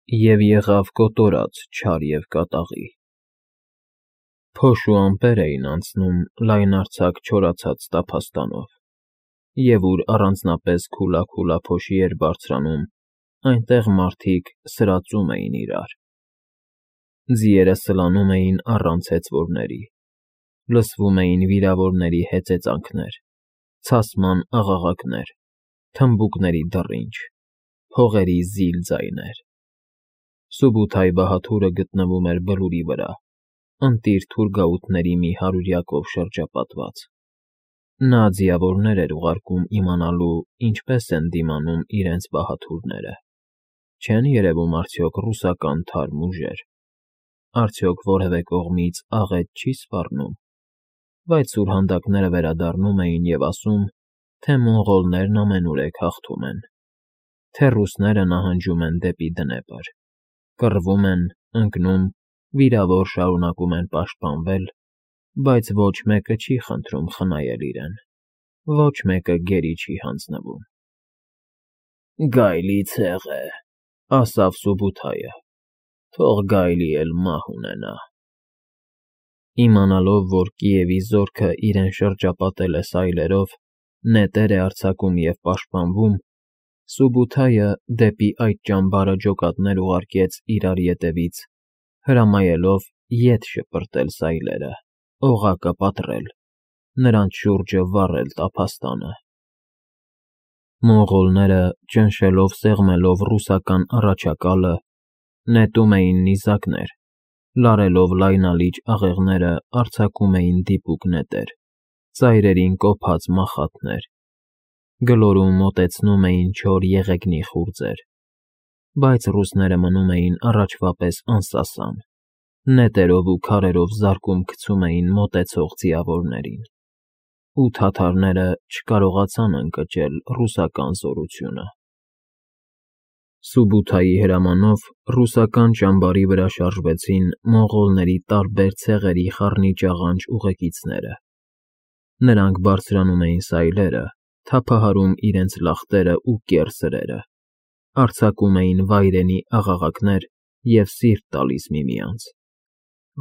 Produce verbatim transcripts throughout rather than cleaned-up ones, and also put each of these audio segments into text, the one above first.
և եղավ կոտորած չար և կատաղի։ Փոշ ու ամպեր էին անցնում լայնարձակ չորացած տափաստանով, և ուր առանձնապես քուլաքուլա փոշի էր բարձրանում, այնտեղ մարդիկ սրածում էին իրար։ Ձիերը սլանում էին առանց հեծվորների, լսվում էին վիրավորների հեծեծանքներ, ցասման աղաղակներ, թմբուկների դռինչ, փողերի զիլ ձայներ։ Սուբութայ բահաթուրը գտնվում էր բլուրի վրա, ընտիր թուրգաուտների մի հարյուրյակով շրջապատված։ Նա ձիավորներ էր ուղարկում իմանալու, ինչպես են դիմանում իրենց բահաթուրները, չեն երևում արդյոք ռուսական թարմ ուժեր, արդյոք որևէ կողմից աղետ չի սպառնում։ Բայց սուրհանդակները վերադառնում էին և ասում, թե մոնղոլներն ամենուրեք հաղթում են, թե ռուսները նահանջում են դեպի Դնեպր, կռվում են, ընկնում, վիրավոր շարունակում են պաշտպանվել, բայց ոչ մեկը չի խնդրում խնայել իրեն, ոչ մեկը գերի չի հանձնվում։ «Գայլի ցեղ է,֊ ասավ Սուբութայը,֊ թող գայլի էլ մահ ունենա»։ Իմանալով, որ Կիևի զորքն իրեն շրջապատել է սայլերով, նետեր է արձակում և պաշտպանվում, Սուբութայը դեպի այդ ճամբարը ջոկատներ ուղարկեց իրար ետևից, հրամայելով ետ շպրտել սայլերը, օղակը պատռել, նրանց շուրջը վառել տափաստանը։ Մոնղոլները, ճնշելով սեղմելով ռուսական առաջակալը, նետում էին նիզակներ, լարելով լայնալիճ աղեղները արձակում էին դիպուկ նետեր, ծայրերին կոփած մախատներ, գլորում մոտեցնում էին չոր եղեգնի խուրձեր, բայց ռուսները մնում էին առաջվա պես անսասան, նետերով ու քարերով զարկում գցում էին մոտեցող ձիավորներին, ու թաթարները չկարողացան ընկճել ռուսական զորությունը։ Սուբութայի հրամանով ռուսական ճամբարի վրա շարժվեցին մոնղոլների տարբեր ցեղերի խառնիճաղանճ ուղեկիցները։ Նրանք բարձրանում էին սայլերը, թափահարում իրենց լախտերն ու կեռ սրերը, արձակում էին վայրենի աղաղակներ և սիրտ տալիս միմյանց։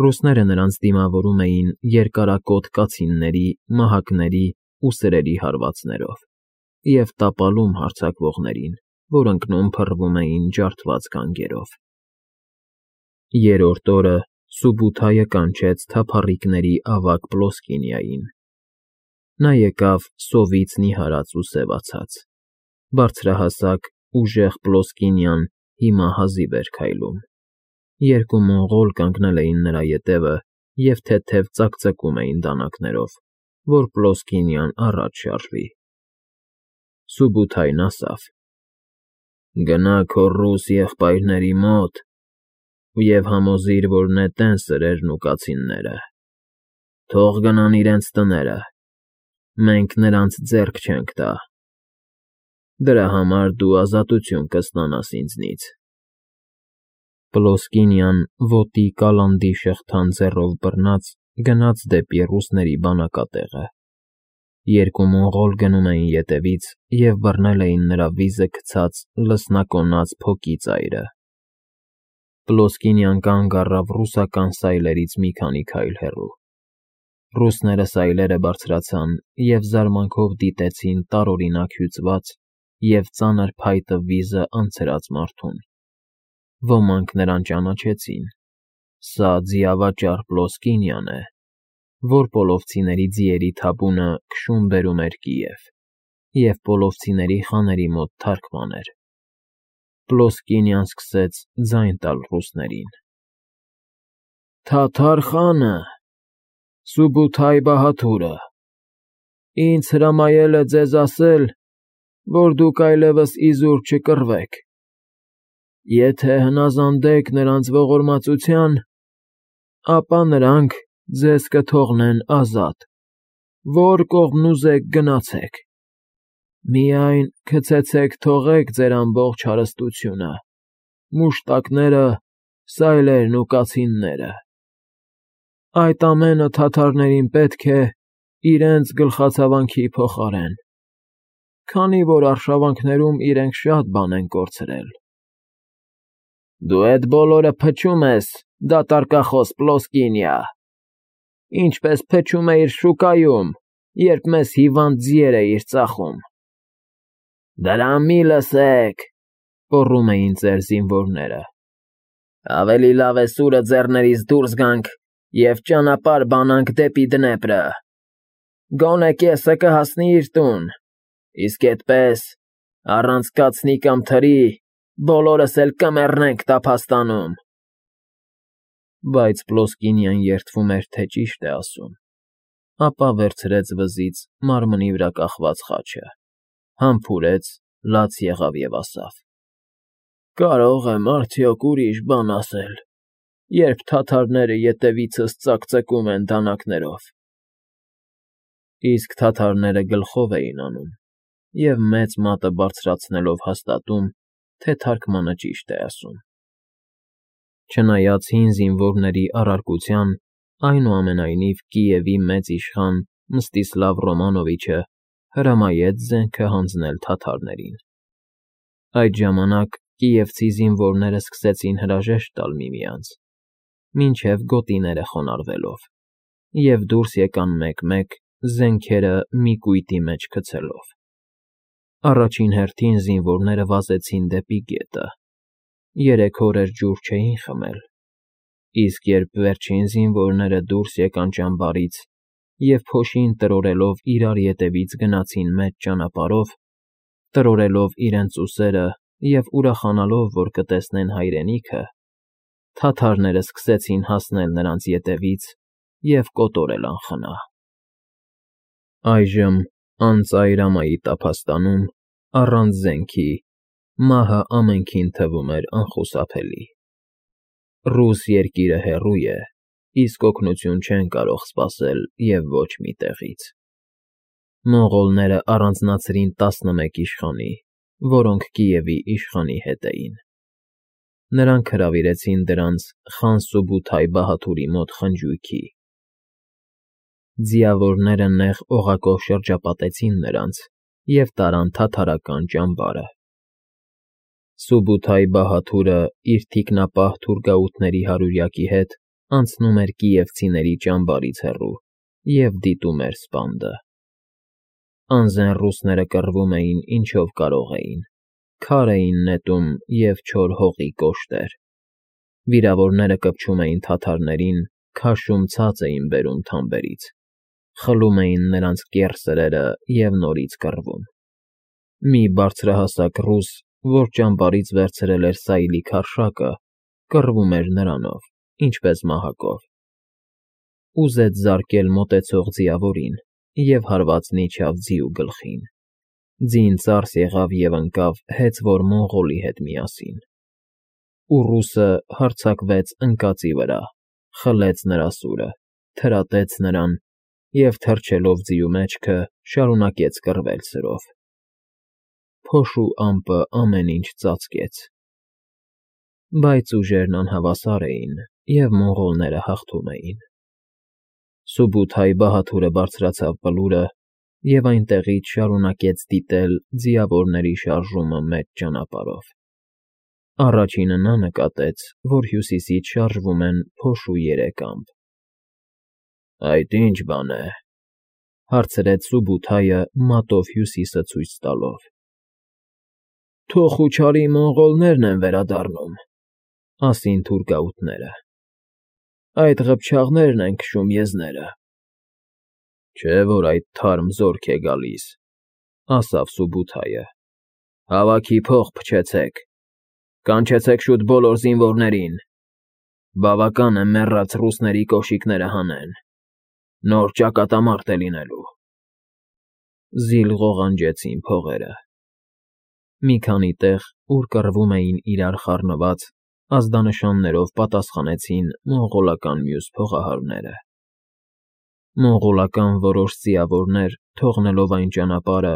Ռուսները նրանց դիմավորում էին երկարակոթ կացինների, մահակների ու սրերի հարվածներով և տապալում հարձակվողներին, որ ընկնում փռվում էին ջարդված գանգերով։ Երրորդ օրը Սուբութայը կանչեց թափառիկների ավագ Պլոսկինիային։ Նա եկավ սովից նիհարած ու սևացած, բարձրահասակ, ուժեղ Պլոսկինիան հիմա հազիվ էր քայլում։ Երկու մոնղոլ կանգնել էին նրա ետևը և թեթև ծակծկում էին դանակներով, որ Պլոսկինիան առաջ շարժվի։ Սուբութայն ասավ. «Գնա քո ռուս եղբայրների մոտ և համոզիր, որ նետեն սրերն ու կացինները, թող գնան իրենց տները, մենք նրանց ձեռք չենք տա։ Դրա համար դու ազատություն կստանաս ինձնից»։ Պլոսկինիան ոտի կալանդի շղթան ձեռով բռնած գնաց դեպի ռուսների բանակատեղը։ Երկու մոնղոլ գնում էին ետևից և բռնել էին նրա վիզը գցած լսնակոնած փոկի ծայրը։ Պլոսկինիան կանգ առավ ռուսական սայլերից մի քանի քայլ հեռու։ Ռուսները սայլերը բարձրացան և զարմանքով դիտեցին տարօրինակ հյուծված և ծանր փայտը վիզը անցրած մարդուն։ Ոմանք նրան ճանաչեցին. սա ձիավաճառ Պլոսկինիան է, որ պոլովցիների ձիերի թափունը քշում֊բերում էր Կիև և պոլովցիների խաների մոտ թարգման էր։ Պլոսկինիան սկսեց ձայն տալ ռուսներին. «Թաթար խանը, Սուբութայ բահաթուրը, ինձ հրամայել է ձեզ ասել, որ դուք այլևս իզուր չկռվեք։ Եթե հնազանդեք նրանց ողորմածության, ապա նրանք ձեզ կթողնեն ազատ, որ կողմն ուզեք գնացեք։ Միայն քցեցեք թողեք ձեր ամբողջ հարստությունը, մուշտակները, սայլերն ու կացինները։ Այդ ամենը թաթարներին պետք է իրենց գլխացավանքի փոխարեն, քանի որ արշավանքներում իրենք շատ բան են կորցրել»։ Դու էդ բոլորը փչում ես, դատարկախոս Պլոսկինիա, ինչպես փչում էիր շուկայում, երբ մեզ հիվանդ ձիեր էիր ծախում։ Դրան մի լսեք, կոռում էին ծեր զինվորները։ Ավելի լավ է սուրը ձեռներիս դուրս գանք և ճանապարհ բանանք դեպի Դնեպրը։ Գոնե կեսը կհասնի իր տուն, իսկ էդպես, առանց կացնի կամ թրի, բոլորս էլ կմեռնենք տափաստանում։ Բայց Պլոսկինիան երդվում էր, թե ճիշտ է ասում, ապա վերցրեց վզից մարմնի վրա կախված խաչը, համբուրեց, լաց եղավ և ասավ. Կարող եմ արդյոք ուրիշ բան ասել, երբ թաթարները ետևիցս ծակծկում են դանակներով։ Իսկ թաթարները գլխով էին անում և մեծ մատը բարձրացնելով հաստատում, թե թարգմանը ճիշտ է ասում։ Չնայած հին զինվորների առարկության, այնուամենայնիվ Կիևի մեծ իշխան Մստիսլավ Ռոմանովիչը հրամայեց զենքը հանձնել թաթարներին։ Այդ ժամանակ կիևցի զինվորները սկսեցին հրաժեշտ տալ միմյանց, մինչև գոտիները խոնարհվելով, և դուրս եկան մեկ֊մեկ, զենքերը մի կույտի մեջ գցելով։ Առաջին հերթին զինվորները վազեցին դեպի գետը, երեք օրեր ջուր չէին խմել, իսկ երբ վերջին զինվորները դուրս եկան ճամբարից և փոշին տրորելով իրար ետևից գնացին մեծ ճանապարհով, տրորելով իրենց ուսերը և ուրախանալով, որ կտեսնեն հայրենիքը, թաթարները սկսեցին հասնել նրանց ետևից և կոտորել անխնա։ Այժմ, անծայր ամայի տափաստանում, առանց զենքի, մահը ամենքին թվում էր անխուսափելի։ Ռուս երկիրը հեռու է, իսկ օգնություն չեն կարող սպասել և ոչ մի տեղից։ Մոնղոլները առանձնացրին տասնմեկ իշխանի, որոնք Կիևի իշխանի հետ էին։ Նրանք հրավիրեցին դրանց խան Սուբութայ բահադուրի մոտ խնջույքի։ Ձիավորները նեղ օղակով շրջապատեցին նրանց և տարան թաթարական ճամբարը։ Սուբութայ բահադուրը իր թիկնապահ թուրգաութների հարյուրյակի հետ անցնում էր կիևցիների ճամբարից հեռու և դիտում էր սպանդը։ Անզեն ռուսները կռվում էին ինչով կարող էին, քար էին նետում և չոր հողի կոշտեր։ Վիրավորները կպչում էին թաթարներին, քաշում ցած էին բերում թամբերից, խլում էին նրանց կեռ սրերը և նորից կռվում։ Մի բարձրահասակ ռուս, որ ճամբարից վերցրել էր սայլի քարշակը, կռվում էր նրանով, ինչպես մահակով։ Ուզեց զարկել մոտեցող ձիավորին և հարվածն իջավ ձիու գլխին։ Ձին ծարս եղավ և ընկավ հեծվոր մոնղոլի հետ միասին։ Ու ռուսը հարձակվեց ընկածի վրա, խլեց նրա սուրը, թրատեց նրան և, թռչելով ձիու մեջքը, շարունակեց կռվել սրով։ Փոշու ամպը ամեն ինչ ծածկեց։ Բայց ուժերն անհավասար էին, և մոնղոլները հաղթում էին։ Սուբութայ բահադուրը բարձրացավ բլուրը և այնտեղից շարունակեց դիտել ձիավորների շարժումը մեծ ճանապարհով։ Առաջինը նա նկատեց, որ հյուսիսից շարժվում են փոշու երեք ամպ։ Այդ ի՞նչ բան է,֊ հարցրեց Սուբութայը մատով հյուսիսը ցույց տալով։ Թոխուչարի մոնղոլներն են վերադառնում,֊ ասին թուրգաութները։ Այդ ղփչաղներն են քշում եզները։ Չէ՞ որ այդ թարմ զորք է գալիս,֊ ասավ Սուբութայը։ Հավաքի փող փչեցեք, կանչեցեք շուտ բոլոր զինվորներին։ Բավական է մեռած ռուսների կոշիկները հանեն, նոր ճակատամարտ է լինելու։ Զիլ ղողանջեցին փողերը։ Մի քանի տեղ, ուր կռվում էին իրար խառնված, ազդանշաններով պատասխանեցին մոնղոլական մյուս փողահարները։ Մոնղոլական որոշ ձիավորներ, թողնելով այն ճանապարհը,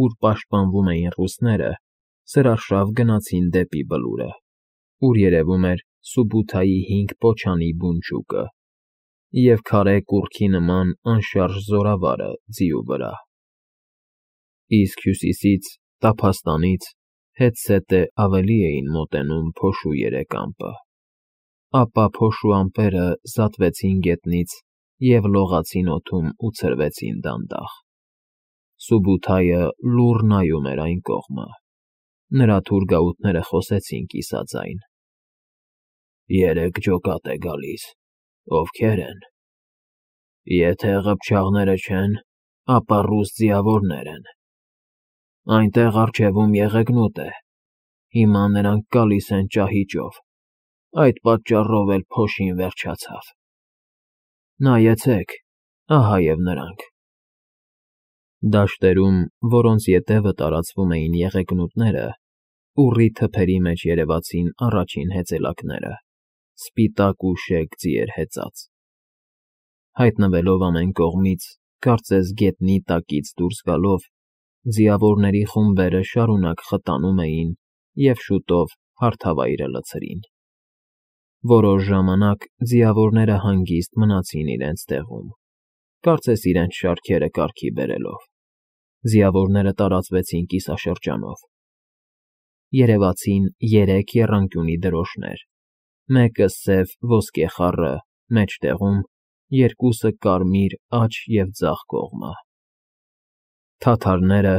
ուր պաշտպանվում էին ռուսները, սրարշավ գնացին դեպի բլուրը, ուր երևում էր Սուբութայի հինգ պոչանի բունջուկը և քարե կուռքի նման անշարժ զորավարը ձիու վրա։ Իսկ հյուսիսից, տափաստանից, Հետսետե ավելի էին մոտենում փոշու երեք ամպը, ապա փոշու ամպերը զատվեցին գետնից և լողացին օդում ու ցրվեցին դանդաղ։ Սուբութայը լուռ նայում էր այն կողմը։ Նրա թուրգաուտները խոսեցին կիսաձայն. «Երեք ջոկատ է գալիս, ովքե՞ր են։ Եթե ղփչաղները չեն, ապա ռուս ձիավորներ են։ Այնտեղ առջևում եղեգնուտ է, հիմա նրանք գալիս են ճահիճով, այդ պատճառով էլ փոշին վերջացավ։ Նայեցեք, ահա և նրանք»։ Դաշտերում, որոնց ետևը տարածվում էին եղեգնուտները, ուռի թփերի մեջ երևացին առաջին հեծելակները, սպիտակ ու շեկ ձիեր հեծած։ Հայտնվելով ամեն կողմից, կարծես գետնի տակից դուրս գալով, ձիավորների խումբերը շարունակ խտանում էին և շուտով հարթավայրը լցրին։ Որոշ ժամանակ ձիավորները հանգիստ մնացին իրենց տեղում, կարծես իրենց շարքերը կարգի բերելով։ Ձիավորները տարածվեցին կիսաշրջանով։ Երևացին երեք եռանկյունի դրոշներ, մեկը սև ոսկե խառը մեջտեղում, երկուսը կարմիր աջ և ձախ կողմը։ Թաթարները,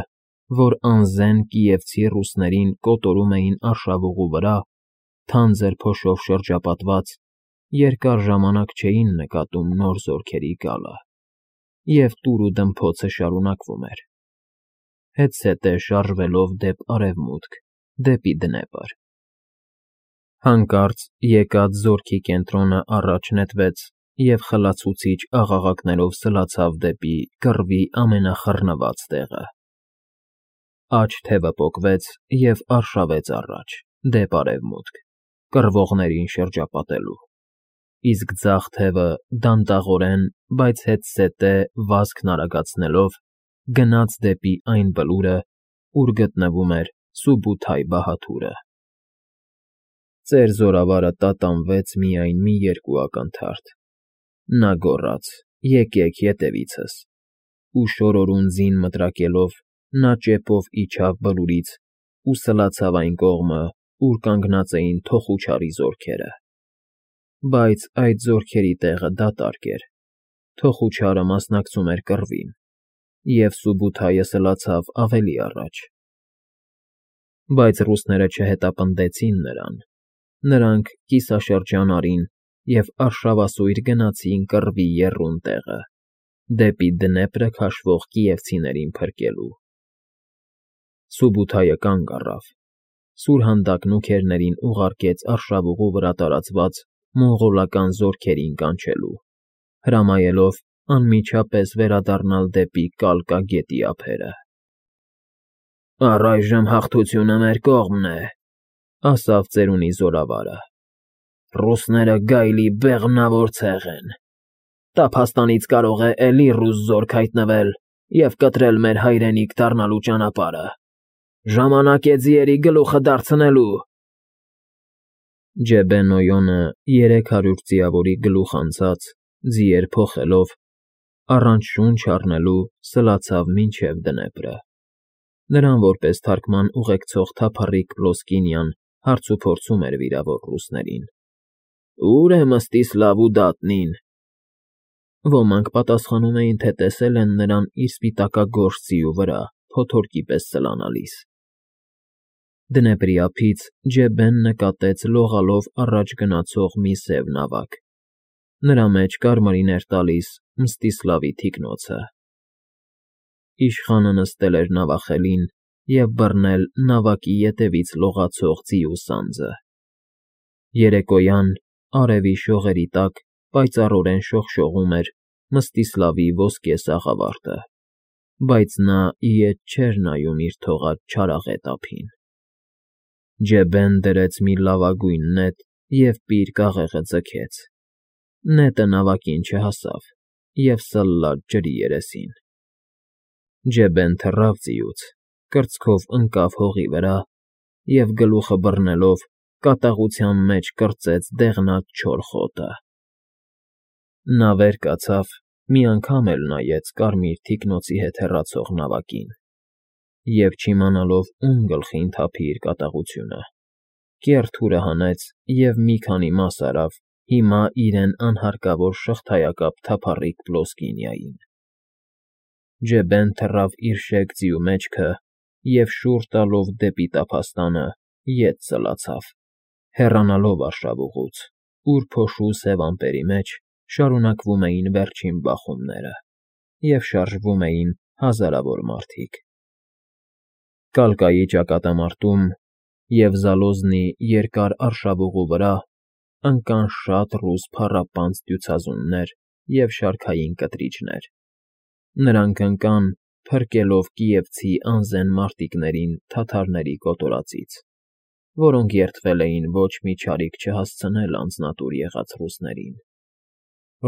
որ անզեն կիևցի ռուսներին կոտորում էին արշավուղու վրա, թանձր փոշով շրջապատված, երկար ժամանակ չէին նկատում նոր զորքերի գալը, և տուր ու դմփոցը շարունակվում էր, հետզհետե շարժվելով դեպ արևմուտք, դեպի Դնեպր։ Հանկարծ եկած զորքի կենտրոնը առաջ նետվեց և խլացուցիչ աղաղակներով սլացավ դեպի կռվի ամենախռնված տեղը։ Աջ թևը պոկվեց և արշավեց առաջ, դեպ արևմուտք, կռվողներին շրջապատելու, իսկ ձախ թևը դանդաղորեն, բայց հետզհետե վազքն արագացնելով, գնաց դեպի այն բլուրը, ուր գտնվում էր Սուբութայ բահաթուրը։ Ծեր զորավարը տատանվեց միայն մի երկու ակնթարթ։ Նա գոռաց. «Եկեք ետևիցս», ու շորորուն ձին մտրակելով, նա ճեպով իջավ բլուրից ու սլացավ այն կողմը, ուր կանգնած էին թոխուչարի զորքերը։ Բայց այդ զորքերի տեղը դատարկ էր, թոխուչարը մասնակցում էր կռվին, և Սուբութայը սլացավ ավելի առաջ։ Բայց ռուսները չհետապնդեցին նրան։ Նրանք կիսաշրջան արին և արշավասույր գնացին կռվի եռուն տեղը, դեպի Դնեպրը քաշվող կիևցիներին փրկելու։ Սուբութայը կանգ առավ, սուրհանդակ նուքերներին ուղարկեց արշավուղու վրա տարածված մոնղոլական զորքերին կանչելու, հրամայելով անմիջապես վերադառնալ դեպի Կալկա գետի ափերը։ «Առայժմ հաղթությունը մեր կողմն է», ասավ ծերունի զորավարը։ «Ռուսները գայլի բեղմնավոր ցեղ են։ Տափաստանից կարող է էլի ռուս զորք հայտնվել և կտրել մեր հայրենիք դառնալու ճանապարհը։ Ժամանակ է ձիերի գլուխը դարձնելու»։ Ջեբեն֊Նոյոնը երեք հարյուր ձիավորի գլուխ անցած, ձիեր փոխելով, առանց շունչ առնելու սլացավ մինչև Դնեպրը։ Նրան որպես թարգման ուղեկցող թափառիկ Պլոսկինյան հարցուփորձում էր վիրավոր ռուսներին. «Ո՞ւր է Մստիսլավու դատնին»։ Ոմանք պատասխանում էին, թե տեսել են նրան իր սպիտակագորշ ձիու վրա, փոթորկի պես սլանալիս։ Դնեպրի ափից Ջեբեն նկատեց լողալով առաջ գնացող մի սև նավակ։ Նրա մեջ կարմիրին էր տալիս Մստիսլավի թիկնոցը։ Իշխանը նստել էր նավախելին և բռնել նավակի ետևից լողացող ձիու սանձը։ Երեկոյան, արևի շողերի տակ պայծառորեն շողշողում էր Մստիսլավի ոսկե սաղավարտը, բայց նա ի ետ չէր նայում իր թողած չարաղետ ափին։ Ջեբեն դրեց մի լավագույն նետ և պիր կաղեղը ձգեց։ Նետը նավակին չհասավ և սլաց ջրի երեսին։ Ջեբեն թռավ ձիուց, կրծքով ընկավ հողի վրա և, գլուխը բռնելով, կատաղության մեջ կրծեց դեղնած չոր խոտը։ Նա վեր կացավ, մի անգամ էլ նայեց կարմիր թիկնոցի հետ հեռացող նավակին և չիմանալով ում գլխին թափի իր կատաղությունը, կեռ թուրը հանեց և մի քանի մաս արավ հիմա իրեն անհարկավոր շղթայակապ թափառիկ Պլոսկինիային. Ջեբեն թռավ իր շեկ ձիու մեջքը և, շուռ տալով դեպի տափաստանը, ետ ծլացավ, հեռանալով արշավուղուց, ուր փոշու սև ամպերի մեջ շարունակվում էին վերջին բախումները և շարժվում էին հազարավոր մարդիկ։ Կալկայի ճակատամարտում և Զալոզնի երկար արշավուղու վրա ընկան շատ ռուս փառապանծ դյուցազուններ և շարքային կտրիչներ. նրանք ընկան, փրկելով կիևցի անզեն մարտիկներին թաթարների կոտորածից, որոնք երդվել էին ոչ մի չարիք չհասցնել անձնատուր եղած ռուսներին։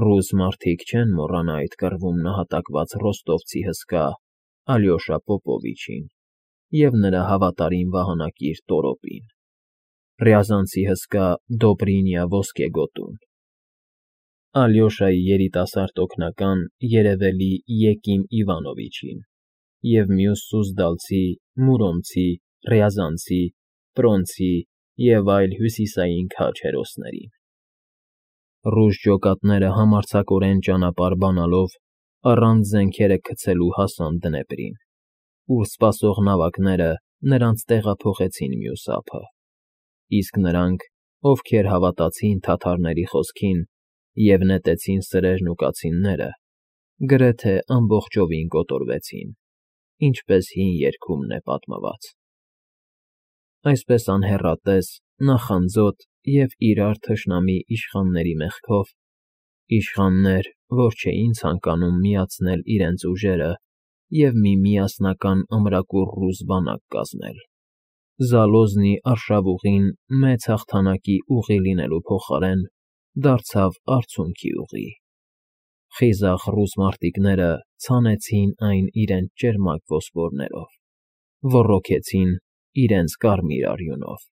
Ռուս մարդիկ չեն մոռանա այդ կռվում նահատակված ռոստովցի հսկա Ալյոշա Պոպովիչին և նրա հավատարիմ վահանակիր Տորոպին, ռյազանցի հսկա Դոբրինյա ոսկեգոտուն, Ալյոշայի երիտասարդ օգնական երևելի Եկիմ Իվանովիչին և մյուս սուզդալցի, մուրոմցի, ռյազանցի, պրոնցի և այլ հյուսիսային քաջ հերոսներին։ Ռուս ջոկատները համարձակորեն ճանապարհ բանալով առանց զենքերը գցելու հասան Դնեպրին, ուր սպասող նավակները նրանց տեղափոխեցին մյուս ափը, իսկ նրանք, ովքեր հավատացին թաթարների խոսքին և նետեցին սրերն ու կացինները, գրեթե ամբողջովին կոտորվեցին, ինչպես հին երգումն է պատմված։ Այսպես անհեռատես, նախանձոտ և իրար թշնամի իշխանների մեղքով, իշխաններ, որ չէին ցանկանում միացնել իրենց ուժերը և մի միասնական ամրակուռ ռուս բանակ կազմել, Զալոզնի արշավուղին մեծ հաղթանակի ուղի լինելու փոխարեն դարձավ արցունքի ուղի։ Խիզախ ռուս մարտիկները ցանեցին այն իրենց ճերմակ ոսպորներով, ոռոգեցին իրենց կարմիր արյունով։